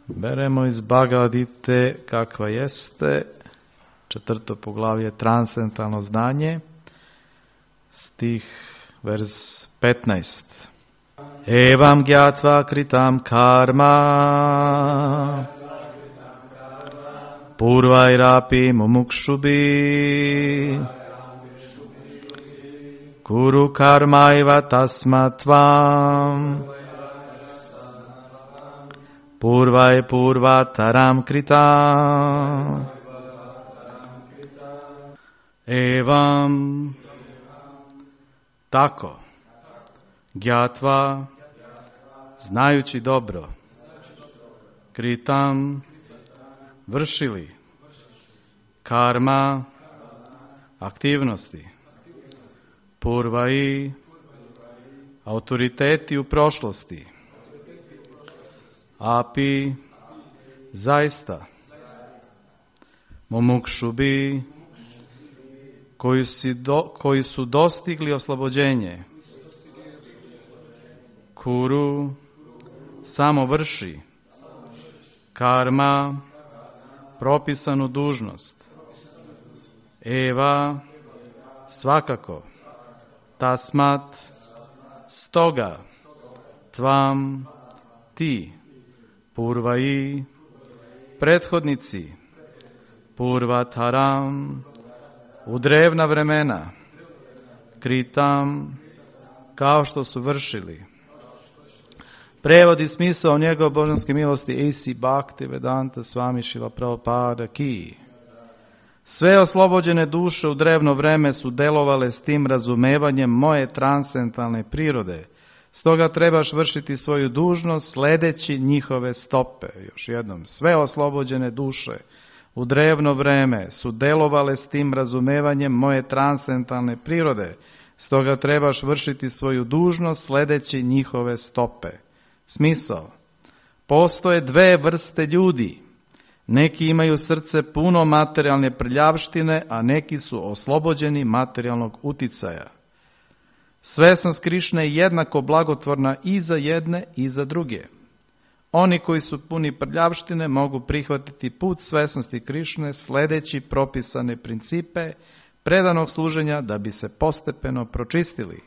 Beremo iz Bhagavad Gite kakva jeste, 4. poglavlje transcendentalno znanje, stih vers 15. Evam gyatva kritam karma purvairapi mumukšubi kuru karmaiva tasmatvam purvai purvataram kritam evam tako gyatva znajući dobro kritam vršili karma aktivnosti purvai autoriteti u prošlosti api zaista mumukšubi koji su dostigli oslobođenje kuru samo vrši karma propisanu dužnost eva svakako tasmat stoga tvam ti purvai prethodnici purvataram u drevna vremena kritam kao što su vršili. Prevod i smisao njegove božanske milosti A.C. Bhaktivedanta Swami Šrila Prabhupada Ki. Sve oslobođene duše u drevno vreme su delovale s tim razumevanjem moje transcendentalne prirode. Stoga trebaš vršiti svoju dužnost sledeći njihove stope. Još jednom, sve oslobođene duše u drevno vreme su delovale s tim razumevanjem moje transcendentalne prirode. Stoga trebaš vršiti svoju dužnost sledeći njihove stope. Smisao. Postoje dve vrste ljudi. Neki imaju srce puno materijalne prljavštine, a neki su oslobođeni materijalnog uticaja. Svesnost Krišne je jednako blagotvorna i za jedne i za druge. Oni koji su puni prljavštine mogu prihvatiti put svesnosti Krišne sledeći propisane principe predanog služenja da bi se postepeno pročistili.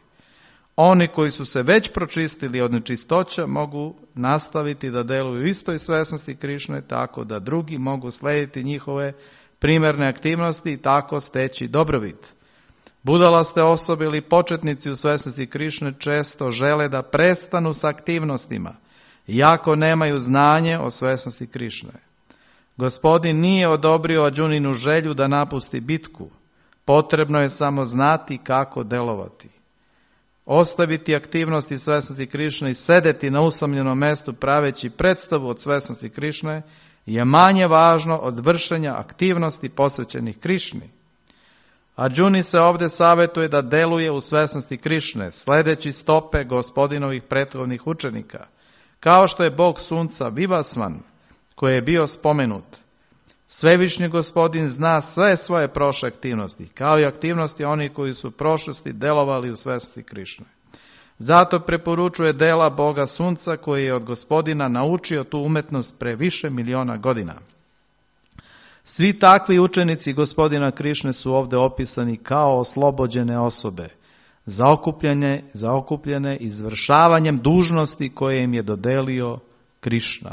Oni koji su se već pročistili od nečistoća mogu nastaviti da deluju u istoj svesnosti Krišne tako da drugi mogu slediti njihove primerne aktivnosti i tako steći dobrobit. Budalaste osobe ili početnici u svesnosti Krišne često žele da prestanu s aktivnostima, iako nemaju znanje o svesnosti Krišne. Gospodin nije odobrio Arjuninu želju da napusti bitku. Potrebno je samo znati kako delovati. Ostaviti aktivnosti svesnosti Krišne i sedeti na usamljenom mestu praveći predstavu od svesnosti Krišne je manje važno od vršenja aktivnosti posvećenih Krišni. Arjuni se ovdje savjetuje da deluje u svesnosti Krišne, sledeći stope gospodinovih prethodnih učenika, kao što je Bog sunca Vivasvan, koji je bio spomenut. Svevišnji gospodin zna sve svoje prošle aktivnosti, kao i aktivnosti onih koji su u prošlosti delovali u svesnosti Krišne. Zato preporučuje dela Boga sunca koji je od gospodina naučio tu umetnost pre više miliona godina. Svi takvi učenici gospodina Krišne su ovdje opisani kao oslobođene osobe, zaokupljene izvršavanjem dužnosti koje im je dodelio Krišna.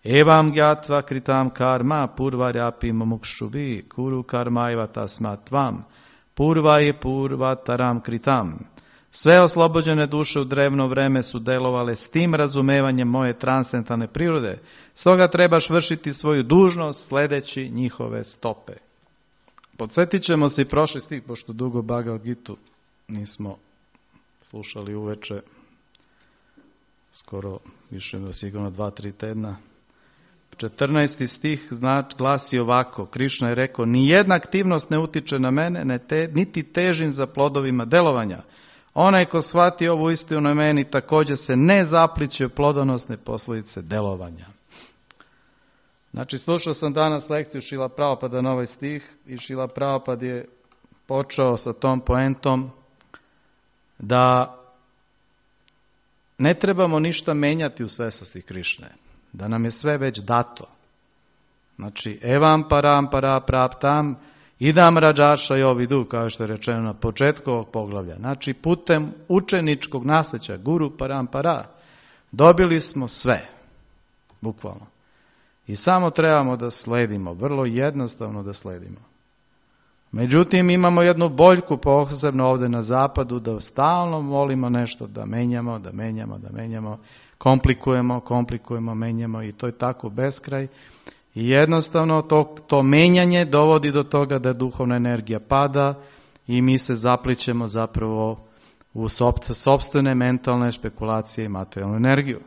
Evam gyatva kritam karma purvaryapi mumukšubi kuru karmaiva tasmatvam purvai purvataram kritam. Sve oslobođene duše u drevno vreme su delovale s tim razumevanjem moje transcendentalne prirode, stoga trebaš vršiti svoju dužnost sledeći njihove stope. Podsjetit ćemo se i prošli stih, pošto dugo Bhagavad Gitu nismo slušali uveče, skoro više sigurno 2-3 tedna. 14. stih glasi ovako, Krišna je rekao, nijedna aktivnost ne utiče na mene, niti težim za plodovima delovanja. Onaj ko shvati ovu istinu na meni također se ne zapliće u plodonosne posljedice delovanja. Znači, slušao sam danas lekciju Šrila Prabhupada na ovaj stih i Šrila Prabhupada je počeo sa tom poentom da ne trebamo ništa menjati u svesnosti Krišne, da nam je sve već dato. Znači, evam param para praptam, idam rađaša i ovidu, kao što je rečeno na početku ovog poglavlja. Znači, putem učeničkog nasljeđa, guru param para, dobili smo sve, bukvalno. I samo trebamo da sledimo, vrlo jednostavno da sledimo. Međutim, imamo jednu boljku, posebno ovdje na zapadu, da stalno volimo nešto da menjamo, komplikujemo, menjamo i to je tako beskraj. I jednostavno to menjanje dovodi do toga da duhovna energija pada i mi se zaplićemo zapravo u sopstvene mentalne špekulacije i materijalnu energiju.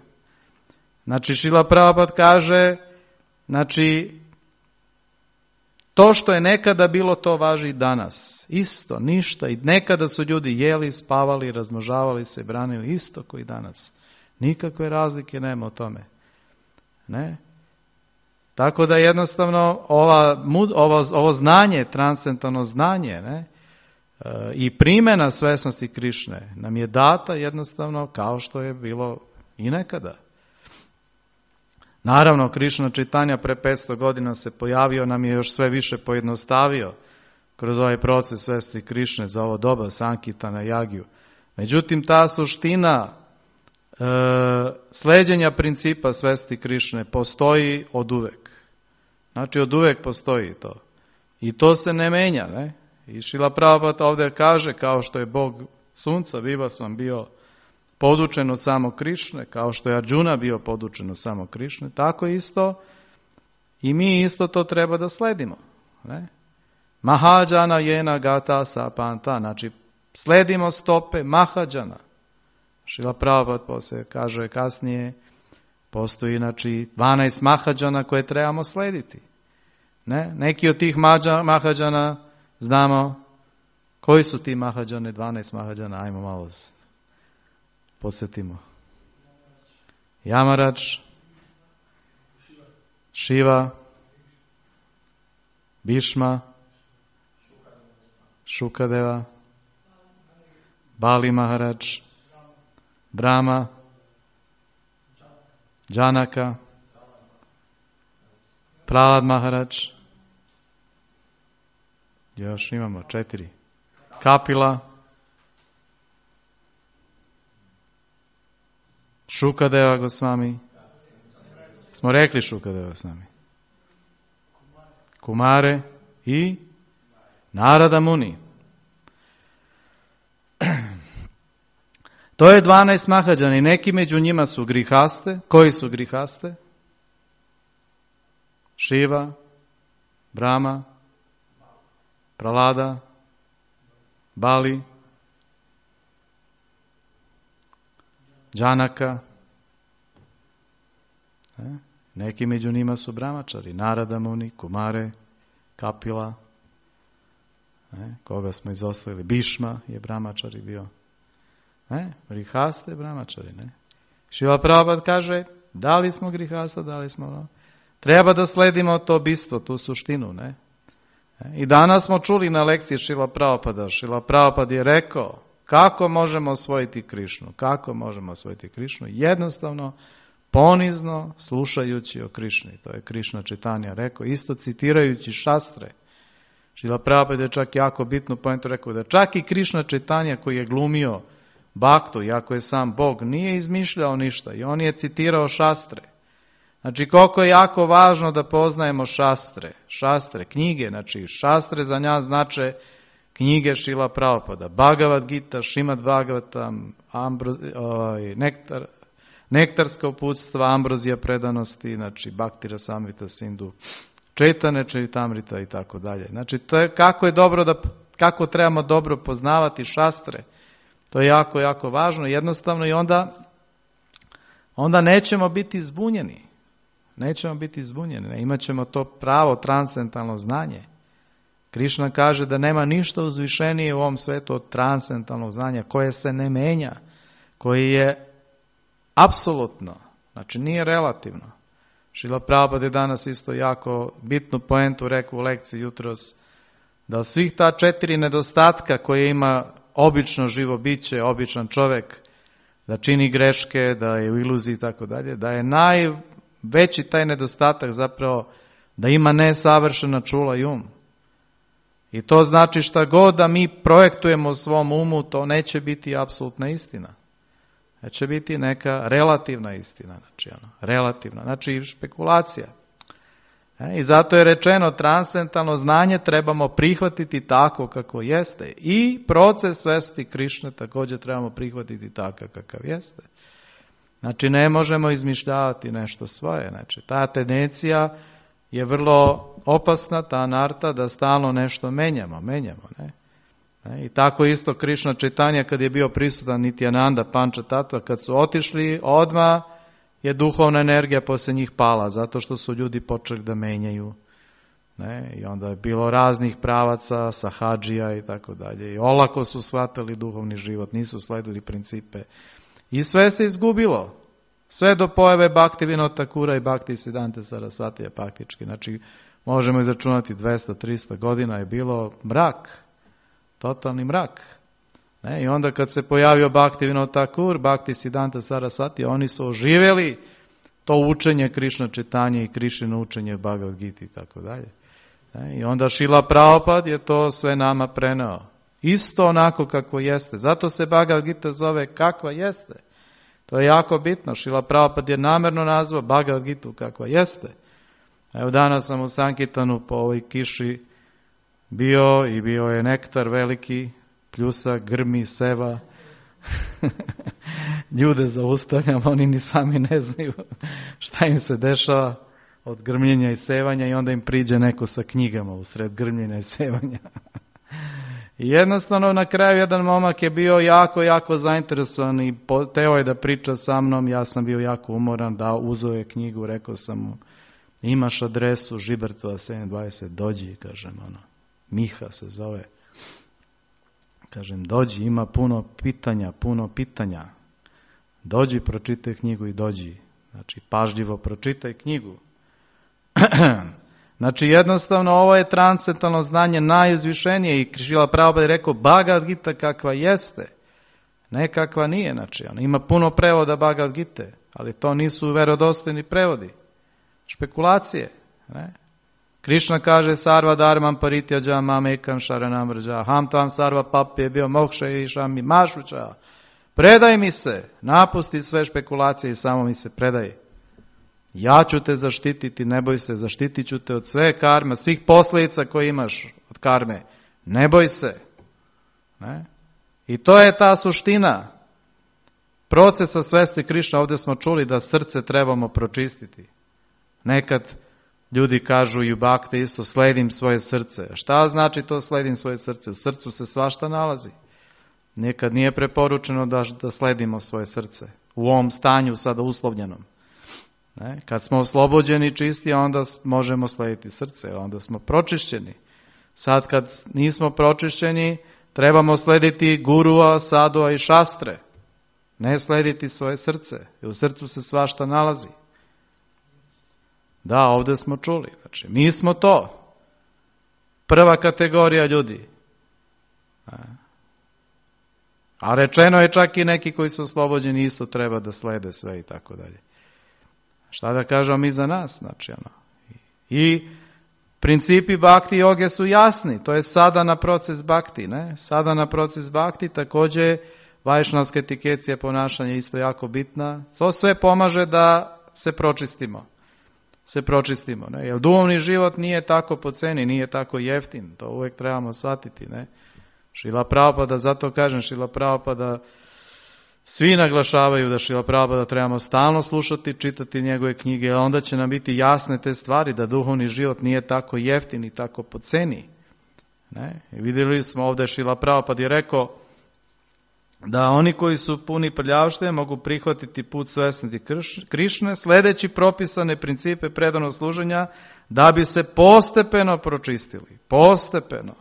Znači, Šrila Prabhupada kaže, znači, to što je nekada bilo, to važi i danas. Isto, ništa. I nekada su ljudi jeli, spavali, razmnožavali se, branili isto koji danas. Nikakve razlike nema o tome. Ne? Tako da jednostavno ovo znanje, transcendentalno znanje, ne? I primjena svesnosti Krišne nam je data jednostavno kao što je bilo i nekada. Naravno, Krišna Čitanja pre 500 godina se pojavio, nam je još sve više pojednostavio kroz ovaj proces svesti Krišne za ovo doba Sankirtana Jagiju. Međutim, ta suština sleđenja principa svesti Krišne postoji od uvek. Znači, od uvek postoji to. I to se ne menja, ne? I Šrila Prabhupada ovdje kaže, kao što je Bog sunca, Vivasvan bio podučen od samog Krišne, kao što je Arjuna bio podučen od samog Krišne, tako isto i mi isto to treba da sledimo. Ne? Mahadžana jena gata sapanta, znači sledimo stope Mahadžana. Šrila Prabhupada poslije kaže kasnije, postoji znači 12 Mahadžana koje trebamo slediti. Ne? Neki od tih Mahadžana znamo koji su ti Mahadžane, 12 Mahadžana, ajmo malo podsjetimo. Yamarač, Šiva, Bhishma, Šukadeva, Bali Maharaj, Brahma, Janaka, Prahlad Maharaj, još imamo 4, Kapila, Šukadeva Gosvami, smo rekli Šukadeva Gosvami, Kumare i Narada Muni. To je 12 Mahadžana i neki među njima su grihaste. Koji su grihaste? Šiva, Brahma, Prahlada, Bali, Janaka. Neki među njima su brahmačari, Narada Muni, Kumare, Kapila. Koga smo izostavili? Bhishma je brahmačari bio. Grihaste brahmačari. Šrila Prabhupada kaže, da li smo grihasta, da li smo... Treba da sledimo to bistvo, tu suštinu. Ne? I danas smo čuli na lekciji Šrila Prabhupada. Šrila Prabhupada je rekao, kako možemo osvojiti Krišnu? Kako možemo osvojiti Krišnu? Jednostavno, ponizno slušajući o Krišni. To je Krišna Čitanja rekao, isto citirajući šastre. Šrila Prabhupada je čak jako bitnu pojentu rekao da čak i Krišna Čitanja koji je glumio Bhaktu, iako je sam Bog, nije izmišljao ništa i on je citirao šastre. Znači koliko je jako važno da poznajemo šastre, knjige, znači šastre za nja znače knjige Šrila Prabhupada, Bhagavad Gita, Šrimad Bhagavatam, nektarska uputstva, ambrozija predanosti, znači Bhakti Rasamrita Sindhu, Čaitanya Charitamrita i tako dalje. Znači to je kako trebamo dobro poznavati šastre. To je jako, jako važno, jednostavno i onda nećemo biti zbunjeni. Imat ćemo to pravo transcendentalno znanje. Krišna kaže da nema ništa uzvišenije u ovom svetu od transcendentalnog znanja koje se ne menja, koji je apsolutno, znači nije relativno. Šrila Prabhupada je danas isto jako bitnu poentu rekao u lekciji jutros, da svih ta 4 nedostatka koje ima obično živo biće, običan čovjek, da čini greške, da je u iluziji i tako dalje, da je najveći taj nedostatak zapravo da ima nesavršena čula i um. I to znači šta god da mi projektujemo u svom umu, to neće biti apsolutna istina. Neće biti neka relativna istina, znači špekulacija. I zato je rečeno transcendentalno znanje trebamo prihvatiti tako kako jeste. I proces svesti Krišne također trebamo prihvatiti tako kakav jeste. Znači ne možemo izmišljavati nešto svoje. Znači ta tendencija je vrlo opasna, ta anarta, da stalno nešto menjamo. I tako isto Krišna Čaitanja kad je bio prisutan Nityananda Pančatattva, kad su otišli, odmah je duhovna energija poslije njih pala, zato što su ljudi počeli da menjaju. I onda je bilo raznih pravaca, sahadžija i tako dalje. I olako su shvatili duhovni život, nisu sledili principe. I sve se izgubilo. Sve do pojave Bhakti Vinod Thakura i Bhakti Siddhante Sarasvatija praktički. Znači, možemo izračunati 200-300 godina je bilo mrak. Totalni mrak. I onda kad se pojavio Bhakti Vinod Thakur, Bhakti Siddhanta Sarasvatija, oni su oživjeli to učenje Krišna Čaitanje i Krišino učenje Bhagavad Gita i tako dalje. I onda Šrila Prabhupada je to sve nama preneo. Isto onako kako jeste. Zato se Bhagavad Gita zove kakva jeste. To je jako bitno. Šrila Prabhupada je namjerno nazvao Bhagavad Gitu kakva jeste. Evo danas sam u Sankirtanu po ovoj kiši bio i bio je nektar veliki, pljusak, grmi, seva. Ljude zaustavljam, oni ni sami ne znaju šta im se dešava od grmljenja i sevanja i onda im priđe neko sa knjigama usred grmljenja i sevanja. I jednostavno na kraju jedan momak je bio jako zainteresovan i teo je da priča sa mnom, ja sam bio jako umoran, da uzeo je knjigu, rekao sam mu, imaš adresu Žibertova 720, dođi, kažem, Miha se zove. Kažem, dođi, ima puno pitanja. Dođi, pročitaj knjigu i dođi. Znači, pažljivo pročitaj knjigu. Znači, jednostavno, ovo je transcendentalno znanje najuzvišenije i Šrila Prabhupada je rekao, Bhagavad Gita kakva jeste. Ne kakva nije, znači, ima puno prevoda Bhagavad Gite, ali to nisu verodostojni prevodi. Špekulacije, ne? Krišna kaže sarva dharmam parityaja mam ekam sharanam vraja ham tam sarva papje bio moksha i šami mašuća. Predaj mi se, napusti sve špekulacije i samo mi se predaj. Ja ću te zaštititi, ne boj se, zaštitit ću te od sve karme, svih posljedica koje imaš od karme. Ne boj se. Ne? I to je ta suština procesa svesti Krišna. Ovdje smo čuli da srce trebamo pročistiti. Nekad ljudi kažu i u Bhakti isto, sledim svoje srce. Šta znači to sledim svoje srce? U srcu se svašta nalazi. Nekad nije preporučeno da sledimo svoje srce. U ovom stanju sada uslovljenom. Ne? Kad smo oslobođeni čisti, onda možemo slediti srce, onda smo pročišćeni. Sad kad nismo pročišćeni, trebamo slediti gurua, sadua i šastre. Ne slediti svoje srce. I u srcu se svašta nalazi. Da, ovdje smo čuli. Znači, mi smo to. Prva kategorija ljudi. A rečeno je čak i neki koji su oslobođeni isto treba da slede sve i tako dalje. Šta da kažemo mi za nas? Znači, I principi bhakti joge su jasni. To je sadhana proces bhakti. Ne? Sadhana proces bhakti također vajšnavska etikecija ponašanja isto jako bitna. To sve pomaže da se pročistimo. Ne? Jer duhovni život nije tako po ceni, nije tako jeftin. To uvijek trebamo shvatiti. Ne? Šrila Prabhupada, zato kažem Šrila Prabhupada, svi naglašavaju da Šrila Prabhupada trebamo stalno slušati, čitati njegove knjige, a onda će nam biti jasne te stvari da duhovni život nije tako jeftin i tako po ceni. Ne? I vidjeli smo ovdje Šrila Prabhupada je rekao da oni koji su puni prljavštine mogu prihvatiti put svesnosti Krišne sledeći propisane principe predanog služenja da bi se postepeno pročistili. Postepeno.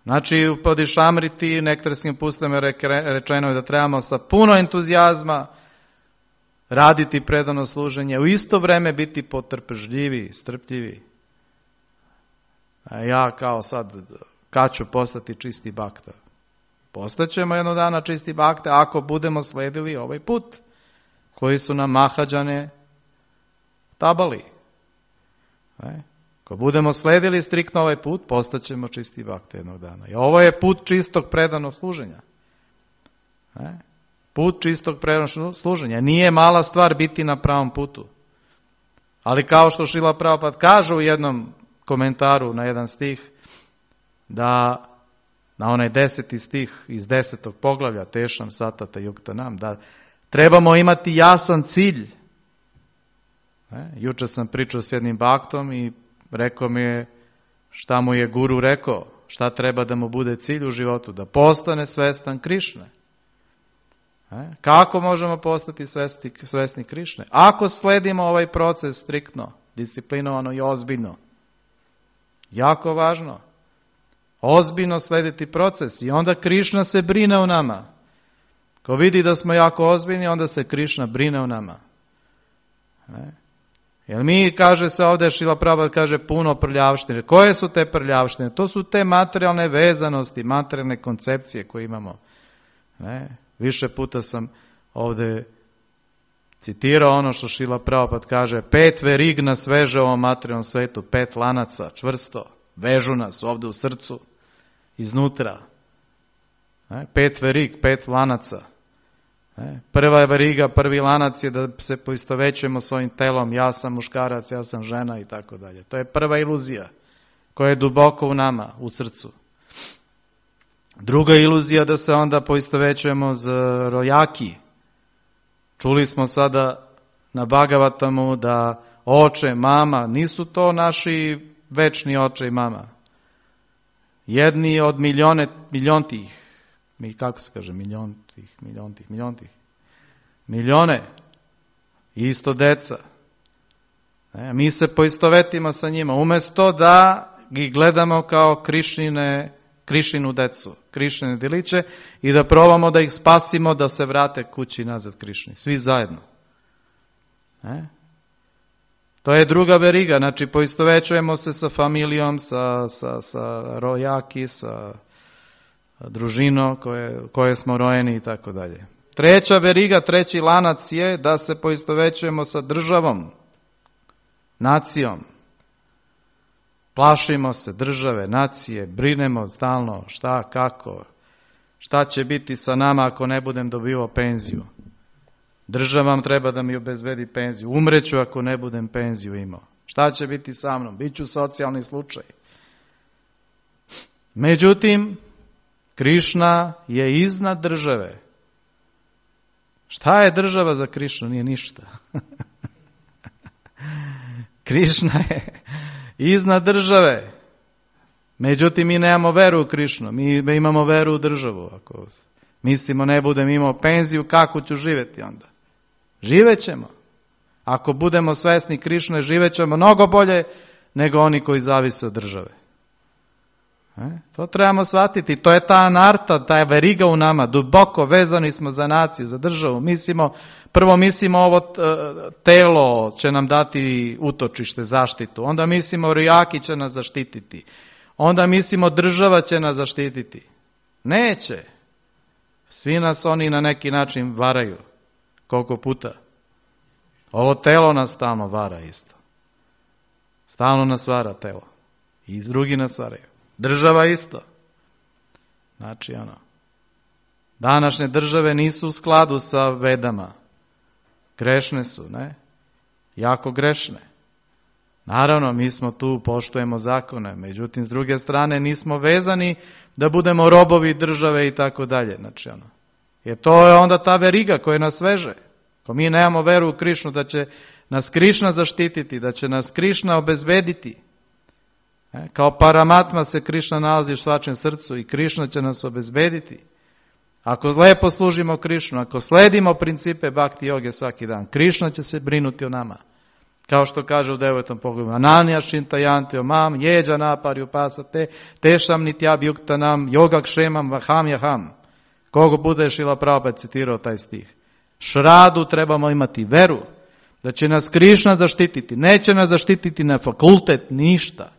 Znači u Padišamriti nektarskim pustima rečeno je da trebamo sa puno entuzijazma raditi predano služenje, u isto vrijeme biti potrpežljivi, strpljivi. A ja kao sad, kad ću postati čisti bhakta? Postaćemo jednog dana čisti bhakte ako budemo sledili ovaj put koji su nam Mahađane tabali. Ako budemo sledili striktno ovaj put, postaćemo čisti bhakte jednog dana. I ovo je put čistog predanog služenja. Put čistog predanog služenja. Nije mala stvar biti na pravom putu. Ali kao što Šrila Prabhupada kaže u jednom komentaru na jedan stih, da na onaj 10. stih iz 10. poglavlja Tešam Satata Yuktanam, da trebamo imati jasan cilj. Juče sam pričao s jednim baktom i rekao mi je šta mu je guru rekao, šta treba da mu bude cilj u životu, da postane svestan Krišne. Kako možemo postati svesni Krišne? Ako sledimo ovaj proces striktno, disciplinovano i ozbiljno. Jako važno. Ozbiljno slediti proces i onda Krišna se brine o nama. Ko vidi da smo jako ozbiljni, onda se Krišna brine o nama. Jer mi, kaže se ovdje, Šrila Prabhupada kaže puno prljavštine. Koje su te prljavštine? To su te materijalne vezanosti, materijalne koncepcije koje imamo. Više puta sam ovdje citirao ono što Šrila Prabhupada kaže, 5 verig nas veže u ovom materijalnom svetu, 5 lanaca, čvrsto, vežu nas ovdje u srcu, iznutra. 5 verig, 5 lanaca. Prva veriga, prvi lanac je da se poistovećujemo s ovim telom, ja sam muškarac, ja sam žena i tako dalje. To je prva iluzija koja je duboko u nama, u srcu. Druga iluzija da se onda poistovećujemo z rojaki. Čuli smo sada na Bhagavatamu da oče, mama, nisu to naši večni oče i mama. Jedni od miljontih, kako se kaže, milijone, isto deca. Mi se poistovetimo sa njima, umjesto da ih gledamo kao Krišinu decu, Krišine djeliće i da probamo da ih spasimo da se vrate kući nazad Krišni. Svi zajedno. To je druga veriga, znači poistovećujemo se sa familijom, sa rojaki, sa družinom koje smo rojeni i tako dalje. Treća veriga, treći lanac je da se poistovećujemo sa državom, nacijom. Plašimo se države, nacije, brinemo stalno šta, kako, šta će biti sa nama ako ne budem dobivao penziju. Država treba da mi obezbedi penziju. Umreću ako ne budem penziju imao. Šta će biti sa mnom? Biću socijalni slučaj. Međutim, Krišna je iznad države. Šta je država za Krišnu? Nije ništa. Krišna je iznad države. Međutim, mi nemamo veru u Krišnu. Mi imamo veru u državu. Ako mislimo ne budem imao penziju, kako ću živjeti onda? Živećemo. Ako budemo svesni Krišne, živećemo mnogo bolje nego oni koji zavise od države. To trebamo shvatiti. To je ta anarta, ta veriga u nama. Duboko vezani smo za naciju, za državu. Prvo mislimo ovo telo će nam dati utočište, zaštitu. Onda mislimo rojaki će nas zaštititi. Onda mislimo država će nas zaštititi. Neće. Svi nas oni na neki način varaju. Koliko puta? Ovo telo nas stalno vara isto. Stalno nas vara telo. I drugi nas varaju. Država isto. Znači današnje države nisu u skladu sa Vedama. Grešne su, ne? Jako grešne. Naravno, mi smo tu, poštujemo zakone, međutim, s druge strane, nismo vezani da budemo robovi države i tako dalje. Znači, jer to je onda ta veriga koja nas veže. Ako mi nemamo veru u Krišnu, da će nas Krišna zaštititi, da će nas Krišna obezbediti. Kao Paramatma se Krišna nalazi u svačem srcu i Krišna će nas obezbediti. Ako lepo služimo Krišnu, ako sledimo principe bhakti joge svaki dan, Krišna će se brinuti o nama. Kao što kaže u 9. poglavlju, Ananja šintajanti o mam, jeđa napari upasate, tešam nityabhyuktanam, yoga kšemam vaham jaham. Kogo bude Šrila Prabhupada citirao taj stih. Šradu trebamo imati veru da će nas Krišna zaštititi. Neće nas zaštititi na fakultet, ništa.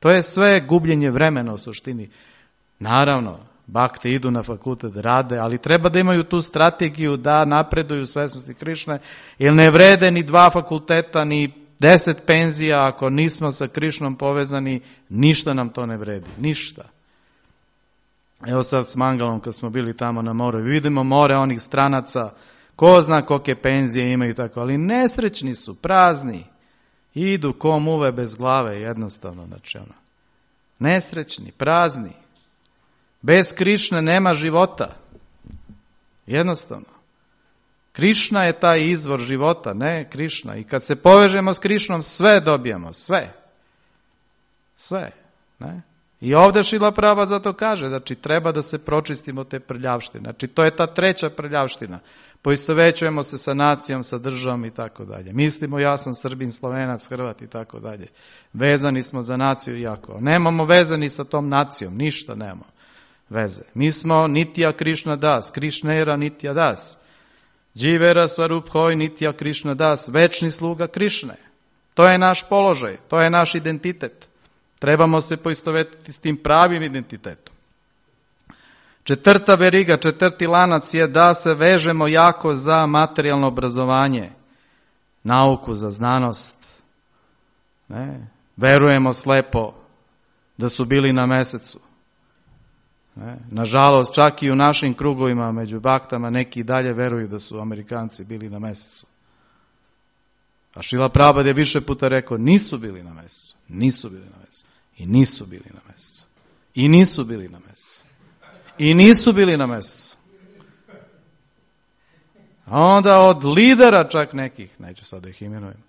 To je sve gubljenje vremena u suštini. Naravno, Bakte idu na fakultet, rade, ali treba da imaju tu strategiju da napreduju u svesnosti Krišne, jer ne vrede ni 2 fakulteta, ni 10 penzija, ako nismo sa Krišnom povezani, ništa nam to ne vredi, ništa. Evo sad s Mangalom kad smo bili tamo na moru, vidimo more onih stranaca, ko zna kolike penzije imaju tako, ali nesrećni su, prazni, idu ko muve bez glave, jednostavno, znači ono. Nesrećni, prazni. Bez Krišne nema života. Jednostavno. Krišna je taj izvor života, ne Krišna. I kad se povežemo s Krišnom, sve dobijemo, sve. Sve, ne? I ovdje Šrila Prabhupada zato kaže, znači treba da se pročistimo te prljavštine. Znači to je ta 3. prljavština. Poistovećujemo se sa nacijom, sa državom i tako dalje. Mislimo ja sam Srbin, Slovenac, Hrvat i tako dalje. Vezani smo za naciju jako. Nemamo veze ni sa tom nacijom, ništa nemamo veze. Mi smo Nitya Krishna Das, Krishnera Nitya Das. Dživera Svaruphoj Nitya Krishna Das, večni sluga Krišne. To je naš položaj, to je naš identitet. Trebamo se poistovetiti s tim pravim identitetom. 4. veriga, 4. lanac je da se vežemo jako za materijalno obrazovanje, nauku, za znanost. Ne? Verujemo slepo da su bili na mesecu. Ne? Nažalost, čak i u našim krugovima među baktama neki dalje veruju da su Amerikanci bili na mesecu. A Šrila Prabhupada je više puta rekao, nisu bili na mesecu, nisu bili na mesecu, i nisu bili na mesecu, i nisu bili na mesecu, i nisu bili na mesecu. A onda od lidera čak nekih, neću sad da ih imenujem,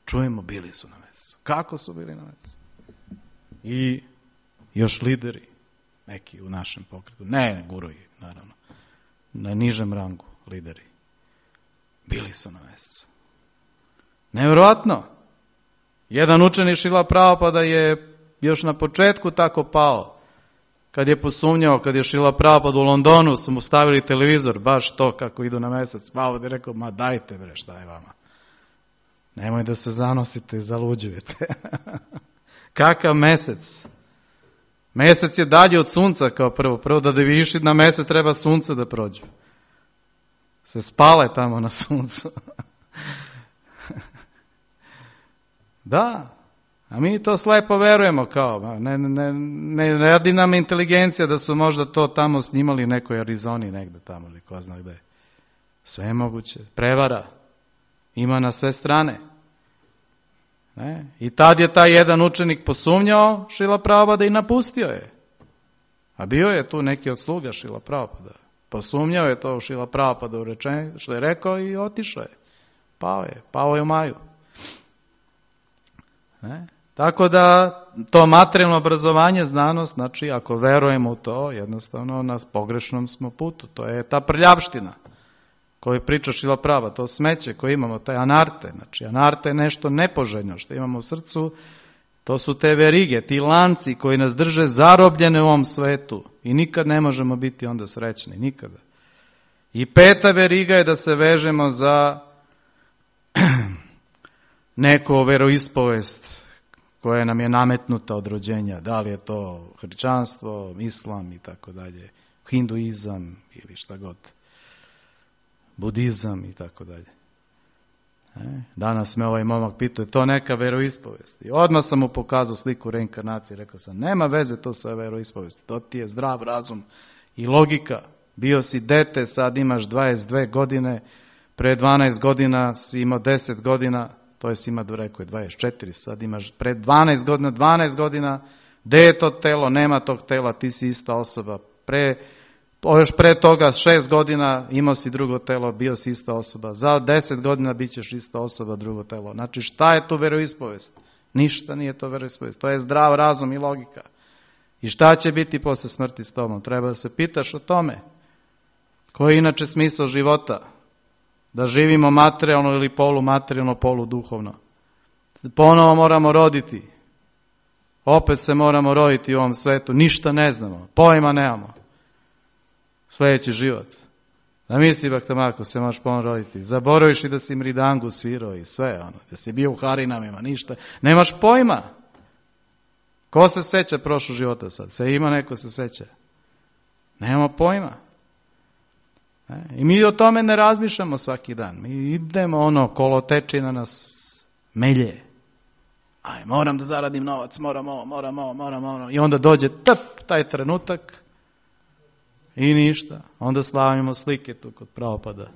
čujemo bili su na mesecu. Kako su bili na mesecu? I još lideri, neki u našem pokretu, ne guruji, naravno, na nižem rangu lideri, bili su na mesecu. Nevjerojatno. Jedan učenik Šrila Prabhupada je još na početku tako pao. Kad je posumnjao, kad je Šrila Prabhupada u Londonu, su mu stavili televizor, baš to kako idu na mesec. Pao je rekao, ma dajte bre, šta je vama? Nemoj da se zanosite i zaluđujete. Kakav mesec? Mesec je dalje od sunca kao prvo. Prvo da bi išli na mesec treba sunce da prođu. Se spale tamo na suncu. Da, a mi to slepo verujemo kao, ne radi nam inteligencija da su možda to tamo snimali u nekoj Arizoni negde tamo ili ko zna gde. Sve je moguće, prevara, ima na sve strane. Ne? I tad je taj jedan učenik posumnjao Šrila Prabhupada i napustio je. A bio je tu neki od sluga Šrila Prabhupada. Posumnjao je to Šrila Prabhupada u rečenju što je rekao i otišao je. Pao je u maju. Ne? Tako da to materijalno obrazovanje, znanost, znači ako verujemo u to, jednostavno na pogrešnom smo putu. To je ta prljavština koju priča Šrila Prabhupada, to smeće koje imamo, taj anarte. Znači anarte je nešto nepoželjno što imamo u srcu, to su te verige, ti lanci koji nas drže zarobljene u ovom svetu i nikad ne možemo biti onda srećni, nikada. I 5. veriga je da se vežemo za neko veroispovest koja nam je nametnuta od rođenja, da li je to hrišćanstvo, islam i tako dalje, hinduizam ili šta god, budizam i tako dalje. Danas me ovaj momak pitao, je to neka veroispovest? I odmah sam mu pokazao sliku reinkarnacije, rekao sam, nema veze to sa veroispovesti, to ti je zdrav razum i logika. Bio si dete, sad imaš 22 godine, pre 12 godina si imao 10 godina, to je si ima, rekao je 24, sad imaš pred 12 godina, gde je to telo, nema tog tela, ti si ista osoba. Još pre toga 6 godina imao si drugo telo, bio si ista osoba. Za 10 godina bit ćeš ista osoba, drugo telo. Znači šta je to veroispovest? Ništa nije to veroispovest. To je zdrav razum i logika. I šta će biti posle smrti s tobom? Treba da se pitaš o tome. Koji je inače smisao života? Da živimo materijalno ili polumaterijalno, poluduhovno. Ponovo moramo roditi. Opet se moramo roditi u ovom svetu. Ništa ne znamo. Pojma nemamo. Sljedeći život. Da misli Bhaktamako se možeš ponovo roditi. Zaboraviš i da si mridangu svirao i sve. Da si bio u harinamima, ništa. Nemaš pojma. Ko se seća prošlog života sad? Se ima neko se seća. Nemamo pojma. I mi o tome ne razmišljamo svaki dan. Mi idemo kolotečina nas melje. Moram da zaradim novac, moram. I onda dođe taj trenutak i ništa. Onda slavimo slike tu kod Pravopada.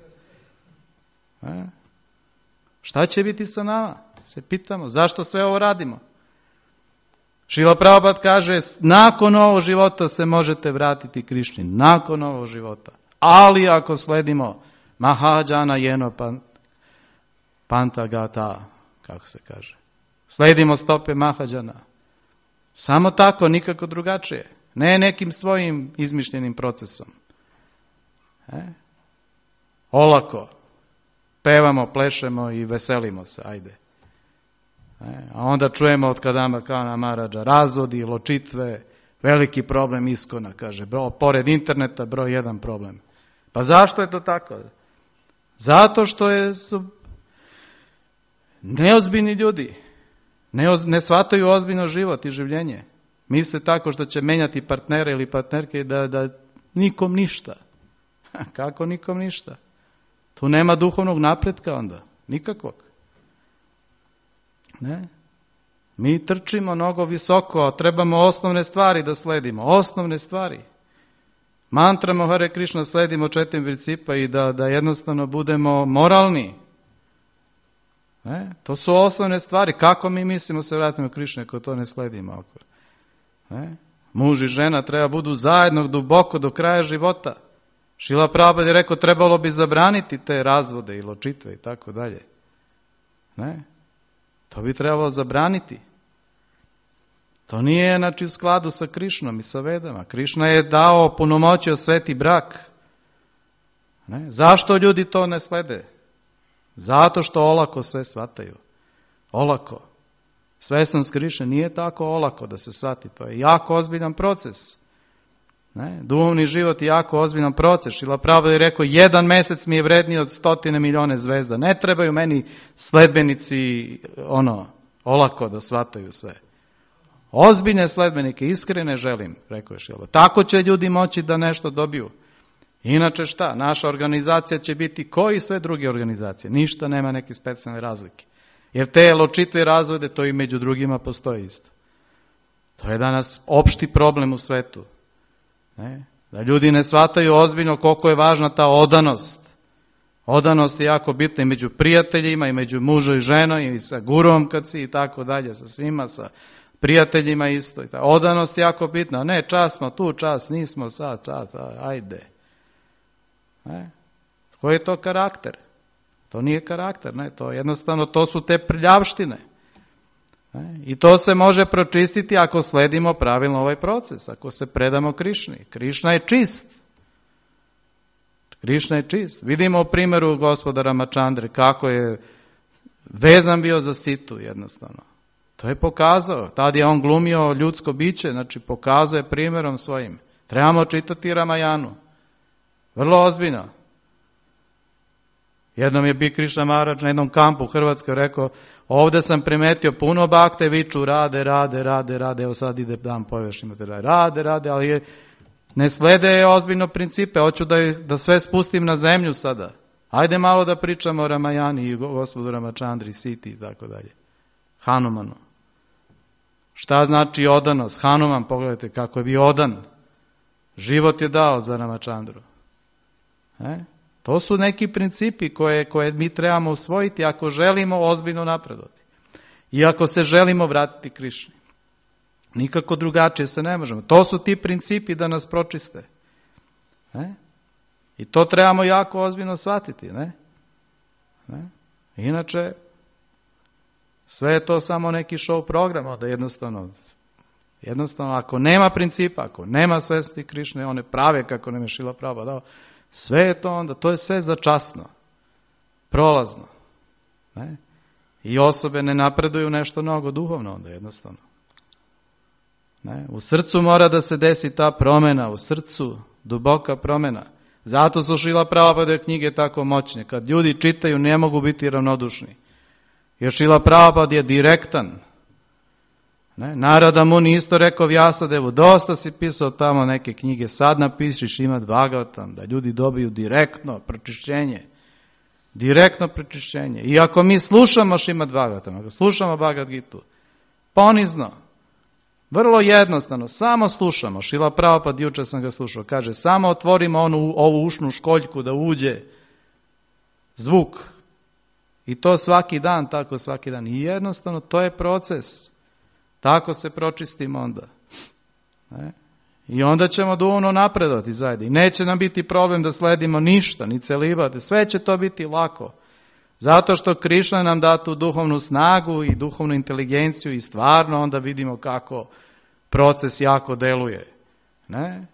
Šta će biti sa nama? Se pitamo, zašto sve ovo radimo? Šrila Prabhupada kaže, nakon ovog života se možete vratiti Krišni. Nakon ovog života. Ali ako sledimo Mahadžana Jeno Pantagata, kako se kaže, sledimo stope Mahadžana. Samo tako, nikako drugačije. Ne nekim svojim izmišljenim procesom. Olako. Pevamo, plešemo i veselimo se, ajde. A onda čujemo od Kadamba Kana Maharadža razvodi, ločitve, veliki problem Iskona, kaže. Pored interneta broj 1 problem. Pa zašto je to tako? Zato što su neozbiljni ljudi. Ne shvataju ozbiljno život i življenje. Misle tako što će menjati partnere ili partnerke da nikom ništa. Kako nikom ništa? Tu nema duhovnog napretka onda. Nikakvog. Ne? Mi trčimo mnogo visoko, a trebamo osnovne stvari da sledimo. Osnovne stvari. Mantramo Hare Krishna sledimo 4 principa i da jednostavno budemo moralni. To su osnovne stvari. Kako mi mislimo se vratimo Krišne ako to ne sledimo? Muž i žena treba budu zajedno duboko do kraja života. Šrila Prabhupada je rekao trebalo bi zabraniti te razvode i ločitve i tako dalje. To bi trebalo zabraniti. To nije u skladu sa Krišnom i sa Vedama. Krišna je dao punomoćio sveti brak. Zašto ljudi to ne slede? Zato što olako sve shvataju. Olako. Svesnost Krišne nije tako olako da se shvati. To je jako ozbiljan proces. Duhovni život je jako ozbiljan proces. Šrila Prabhupada je rekao 1 mesec mi je vredniji od 100 milione zvezda. Ne trebaju meni sledbenici olako da shvataju sve. Ozbiljne sledbenike, iskrene želim, rekao je Šrila. Tako će ljudi moći da nešto dobiju. Inače šta? Naša organizacija će biti kao i sve druge organizacije. Ništa nema neke specijalne razlike. Jer te ločitve razvode, to i među drugima postoji isto. To je danas opšti problem u svetu. Da ljudi ne shvataju ozbiljno koliko je važna ta odanost. Odanost je jako bitna i među prijateljima, i među mužom i ženom, i sa gurom kad si, i tako dalje, sa svima, sa prijateljima isto. Odanost je jako bitna. Ne, čas smo tu, čas nismo sad, ajde. Koji je to karakter? To nije karakter, to jednostavno, to su te prljavštine. I to se može pročistiti ako sledimo pravilno ovaj proces, ako se predamo Krišni. Krišna je čist. Krišna je čist. Vidimo u primjeru gospodara Ramachandre kako je vezan bio za situ jednostavno. To je pokazao. Tad je on glumio ljudsko biće, pokazao je primjerom svojim. Trebamo čitati Ramajanu. Vrlo ozbiljno. Jednom je bio Krišna Maharadž na jednom kampu u Hrvatskoj rekao, ovdje sam primetio puno bakte, viču rade, evo sad ide dan poveš, imate rade, ali ne slede ozbiljno principe, hoću da sve spustim na zemlju sada. Ajde malo da pričamo o Ramajani i gospodu Ramachandri, Siti i tako dalje. Hanumanu. Šta znači odanost? Hanuman, pogledajte kako je bio odan. Život je dao za Ramachandru. To su neki principi koje mi trebamo usvojiti ako želimo ozbiljno napredovati. I ako se želimo vratiti Krišni. Nikako drugačije se ne možemo. To su ti principi da nas pročiste. I to trebamo jako ozbiljno shvatiti. Inače, sve je to samo neki show program, da jednostavno ako nema principa, ako nema svesti Krišne, one prave kako nam je Šrila Prabhupada dao, sve je to onda, to je sve začasno, prolazno. I osobe ne napreduju nešto mnogo duhovno onda jednostavno. U srcu mora da se desi ta promjena, u srcu duboka promjena. Zato su Šrila Prabhupada knjige tako moćne. Kad ljudi čitaju ne mogu biti ravnodušni. Jer Šrila Prabhupada je direktan. Ne? Narada Muni isto rekao Vjasadevu, dosta si pisao tamo neke knjige, sad napiši Šrimad Bhagavatam, da ljudi dobiju direktno pročišćenje. Direktno pročišćenje. I ako mi slušamo Šrimad Bhagavatam, ako slušamo Bhagavad Gitu, ponizno, vrlo jednostavno, samo slušamo. Šrila Prabhupada, jučer sam ga slušao, kaže, samo otvorimo ovu ušnu školjku da uđe zvuk. I to svaki dan, tako svaki dan. I jednostavno, to je proces. Tako se pročistimo onda. Ne? I onda ćemo duhovno napredovati zajedno. I neće nam biti problem da sledimo ništa, ni celibate. Sve će to biti lako. Zato što Krišna nam da tu duhovnu snagu i duhovnu inteligenciju i stvarno onda vidimo kako proces jako deluje. Ne?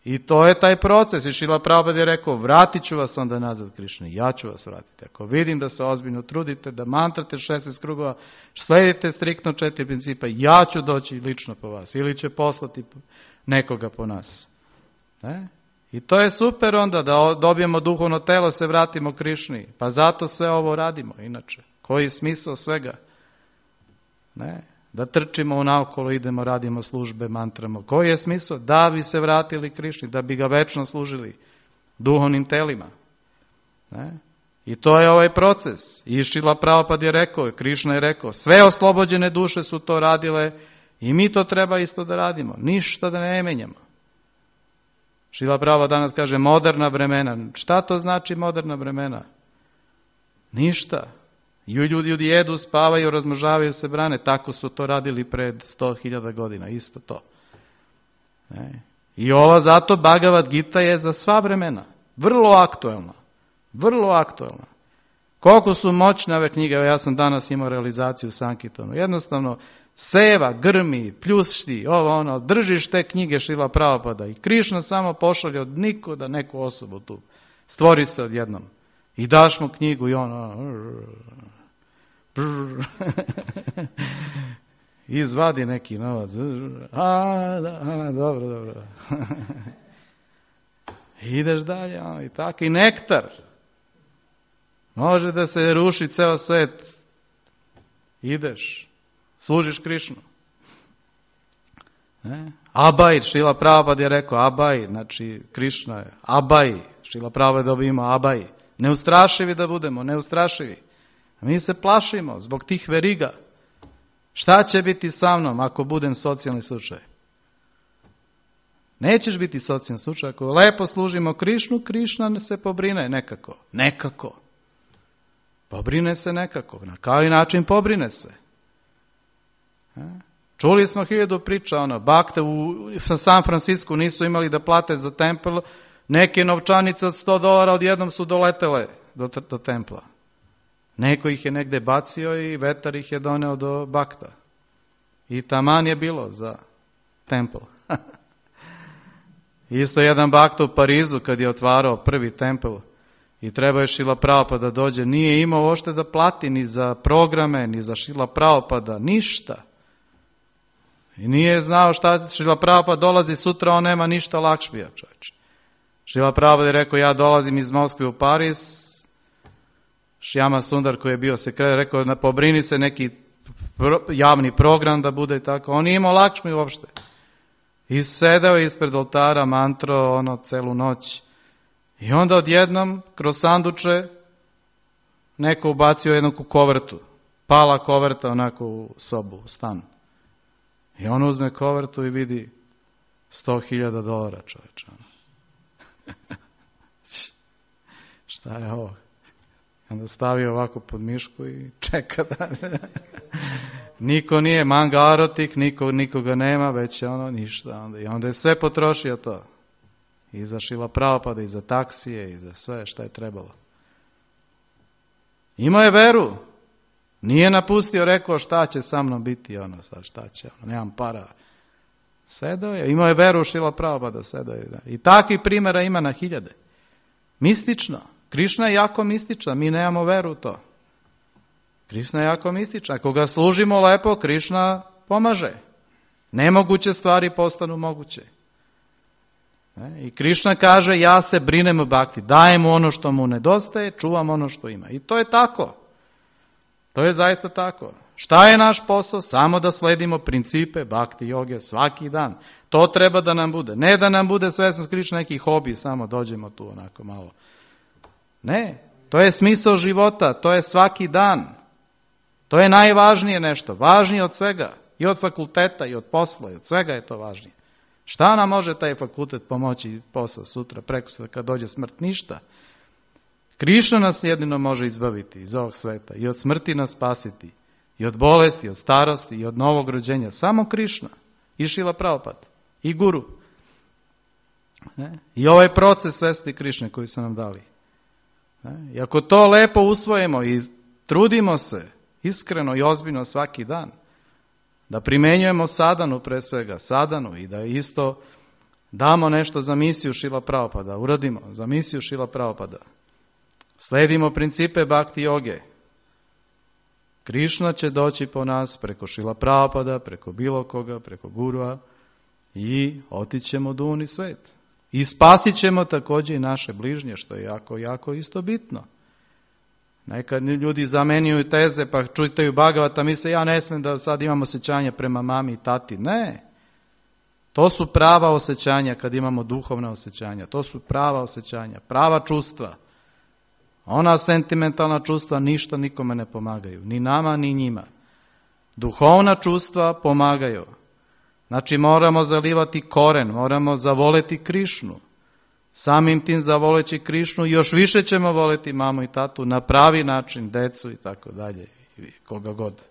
I to je taj proces. I Šrila Prabhupada je rekao, vratit ću vas onda nazad Krišni. Ja ću vas vratiti. Ako vidim da se ozbiljno trudite, da mantrate 16 krugova, sledite striktno 4 principa, ja ću doći lično po vas. Ili će poslati nekoga po nas. Ne? I to je super onda da dobijemo duhovno telo, se vratimo Krišni. Pa zato sve ovo radimo. Inače, koji je smisao svega? Ne? Da trčimo unaokolo, idemo, radimo službe, mantramo. Koji je smisao? Da bi se vratili Krišni, da bi ga večno služili duhovnim telima. Ne? I to je ovaj proces. I Šrila Prabhupada je rekao, Krišna je rekao, sve oslobođene duše su to radile i mi to treba isto da radimo. Ništa da ne menjamo. Šrila Prabhupada danas kaže moderna vremena. Šta to znači moderna vremena? Ništa. Ljudi jedu, spavaju, razmnožavaju se, brane. Tako su to radili pred 100.000 godina. Isto to. Ne? I ova zato Bhagavad Gita je za sva vremena. Vrlo aktuelna. Vrlo aktuelna. Koliko su moćne ove knjige. Ja sam danas imao realizaciju u Sankirtanu. Jednostavno seva, grmi, pljušti, držiš te knjige Šrila Prabhupada i Krišna samo pošalje od nikuda neku osobu tu. Stvori se odjednom. I daš mu knjigu i izvadi neki novac. Dobro. Ideš dalje, i tako. I nektar. Može da se ruši ceo svet. Ideš. Služiš Krišnu. Abaj, Šrila Prabhupada je rekao, Abaj, znači Krišna je, Abaj, Šrila Prabhupada dobijemo Abaj. Neustrašivi da budemo, neustrašivi. Mi se plašimo zbog tih veriga. Šta će biti sa mnom ako budem socijalni slučaj? Nećeš biti socijalni slučaj. Ako lepo služimo Krišnu, Krišna se pobrine nekako. Nekako. Pobrine se nekako. Na koji način pobrine se? Čuli smo 1000 priča, bakte u San Francisku nisu imali da plate za tempel, neke novčanice od $100 odjednom su doletele do templa. Neko ih je negde bacio i vetar ih je doneo do bakta. I taman je bilo za tempel. Isto jedan bakta u Parizu kad je otvarao prvi tempel i treba je Šrila Prabhupada da dođe, nije imao ošte da plati ni za programe, ni za Šrila Prabhupada, ništa. I nije znao šta Šrila Prabhupada dolazi sutra, on nema ništa Lakšmija, čovječe. Šrila Prabhupada je rekao, ja dolazim iz Moskve u Pariz, Šjama Sundar koji je bio sekretar, rekao, pobrini se neki javni program da bude tako. On nije imao Lakšmiju uopšte. I sedeo ispred oltara, mantro, celu noć. I onda odjednom, kroz sanduče, neko ubacio jednu kovertu. Pala koverta onako u sobu, u stan. I on uzme kovertu i vidi $100.000, čoveče. Šta je ovo? Onda stavi ovako pod mišku i čeka da... Niko nije manga arotik, nikoga nema, već je ništa. I onda je sve potrošio to. I za Šrila Prabhupada, i za taksije, i za sve šta je trebalo. Imao je veru. Nije napustio, rekao šta će sa mnom biti, sad šta će, nemam para. Sedao je, imao je veru u Šrila Prabhupada, sedao je. Da. I takvih primjera ima na 1000. Mistično. Krišna je jako mistična, mi nemamo veru u to. Krišna je jako mistična. Ako ga služimo lepo, Krišna pomaže. Nemoguće stvari postanu moguće. I Krišna kaže, ja se brinem o bhakti, dajem mu ono što mu nedostaje, čuvam ono što ima. I to je tako. To je zaista tako. Šta je naš posao? Samo da sledimo principe bhakti joge svaki dan. To treba da nam bude. Ne da nam bude svesnost Krišne neki hobi, samo dođemo tu onako malo. Ne, to je smisao života, to je svaki dan. To je najvažnije nešto, važnije od svega. I od fakulteta, i od posla, i od svega je to važnije. Šta nam može taj fakultet pomoći posao sutra, prekosutra, kad dođe smrt? Ništa. Krišna nas jedino može izbaviti iz ovog sveta i od smrti nas spasiti. I od bolesti, i od starosti, i od novog rođenja. Samo Krišna. I Šrila Prabhupada. I Guru. I ovaj proces svesti Krišne koji su nam dali. I ako to lepo usvojimo i trudimo se iskreno i ozbiljno svaki dan, da primenjujemo sadhanu pre svega, sadhanu i da isto damo nešto za misiju Šrila Prabhupada, uradimo za misiju Šrila Prabhupada. Sledimo principe bhakti joge. Krišna će doći po nas preko Šrila Prabhupada, preko bilo koga, preko Gurua i otićemo duni svet. I spasit ćemo također i naše bližnje, što je jako, jako isto bitno. Nekad ljudi zamenjuju teze pa čitaju Bhagavata, misle ja ne smijem da sad imam osjećanje prema mami i tati. Ne, to su prava osjećanja kad imamo duhovna osjećanja. To su prava osjećanja, prava čustva. Ona sentimentalna čustva ništa nikome ne pomagaju, ni nama ni njima. Duhovna čustva pomagaju. Znači moramo zalivati koren, moramo zavoleti Krišnu. Samim tim zavoleći Krišnu još više ćemo voleti mamu i tatu na pravi način, decu i tako dalje, koga god.